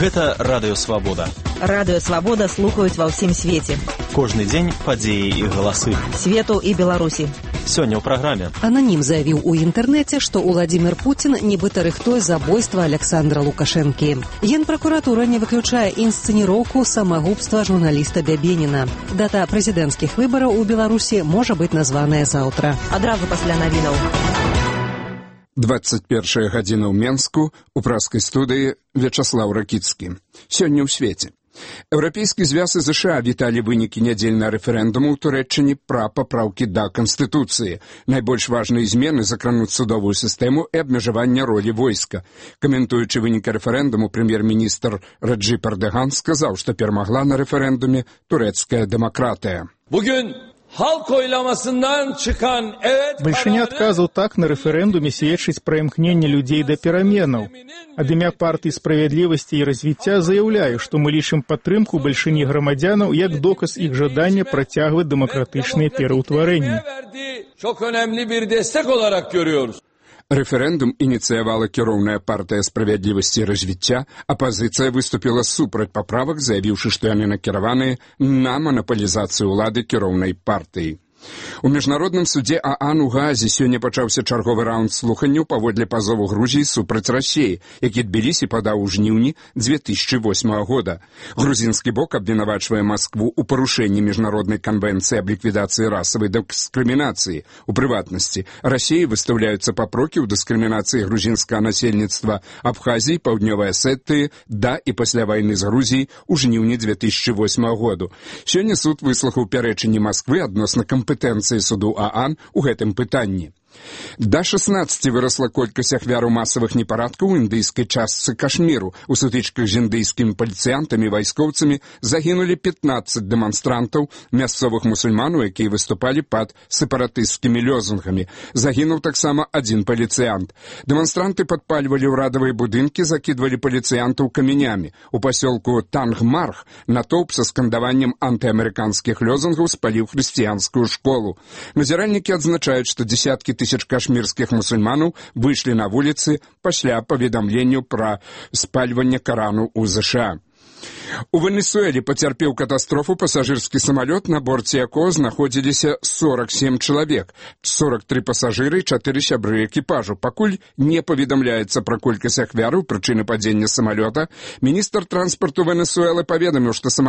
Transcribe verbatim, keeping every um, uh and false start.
Гэта Радыё Свабода. Радыё Свабода слухаюць ва ўсім свеце. Кожны дзень падзеі і галасы. Свету і Беларусі. Сёння ў праграме. Ананім заявіў у інтэрнэце, што Уладзімір Пуцін нібыта рыхтуе забойства Александра Лукашэнкі. Генпракуратура не выключае інсцэніроўку самагубства журналіста Бябеніна. Дата прэзідэнцкіх выбараў у Беларусі можа быць названая заўтра. Адразу пасля навінаў. двадцать первая гадзіна ў Менску, у праскай студыі Вячаслаў Ракіцкі. Сёння ў свеце. Еўрапейскі звяз і ЗША віталі вынікі нядзельнага рэферэндуму ў Турэччыне пра папраўкі да Канстытуцыі. Найбольш важныя змены закрануць судовую сістэму і абмежаванне ролі войска. Каментуючы вынікі рэферэндуму, прэм'ер-міністр Раджып Эрдоган сказаў, што перамагла на рэферэндуме турэцкая дэмакратыя. Бальшыня адказаў так на рэферэндуме сведчыць пра імкненне людзей да пераменаў. Ад імя партыі справядлівасці і развіцця заяўляю, што мы лічым падтрымку бальшыні грамадзянаў як доказ іх жадання працягваць дэмакратычныя пераўтварэнні. Рэферэндум ініцыявала кіроўная партыя справядлівасці і развіцця, апазіцыя выступіла супраць паправак, заявіўшы, што яны накіраваныя на манапалізацыю ўлады кіроўнай партыі. У міжнародным судзе ААН у Гаазе сёння пачаўся чарговы раунд слуханняў паводле пазову Грузіі супраць Расіі, які Тбілісі падаў у жніўні дзве тысячы восьмага года. Грузінскі бок абвінавачвае Маскву ў парушэнні міжнароднай канвенцыі аб ліквідацыі расавай дыскрымінацыі. У прыватнасці, Расіі выстаўляюцца папрокі ў дыскрымінацыі грузінскага насельніцтва Абхазіі, Паўднёвай Асетыі да і пасля вайны з Грузіяй у жніўні дзве тысячы восьмага году. Сёння суд выслухаў пярэчанні Масквы адносна кампетэнцыі суду ААН у гэтым пытанні. Да шаснаццаці вырасла колькасць ахвяраў масавых непарадкаў у індыйскай частцы Кашміру. У сутычках з індыйскімі паліцыянтамі і вайскоўцамі загінулі пятнаццаць дэманстрантаў, мясцовых мусульманаў, якія выступалі пад сепаратысцкімі лёзунгамі. Загінуў таксама адзін паліцыянт. Дэманстранты падпальвалі ўрадавыя будынкі, закідвалі паліцыянтаў камянямі. У пасёлку Тангмарх натоўп са скандаваннем антыамерыканскіх лёзунгаў спаліў хрысціянскую школу. Назіральнікі адзначаюць, што дзесяткі тысяч кашмірскіх мусульманаў выйшлі на вуліцы пасля паведамленню пра спальванне Карану ў ЗША. У Венесуэле пацярпеў катастрофу пасажырскі самалёт, на борце якога знаходзіліся сорок сем чалавек, сорок три пасажыры і чатыры сябры экіпажу. Пакуль не паведамляецца пра колькасць ахвяраў, прычыны падзення самалёта, міністр транспарту Венесуэлы паведаміў, што самалёт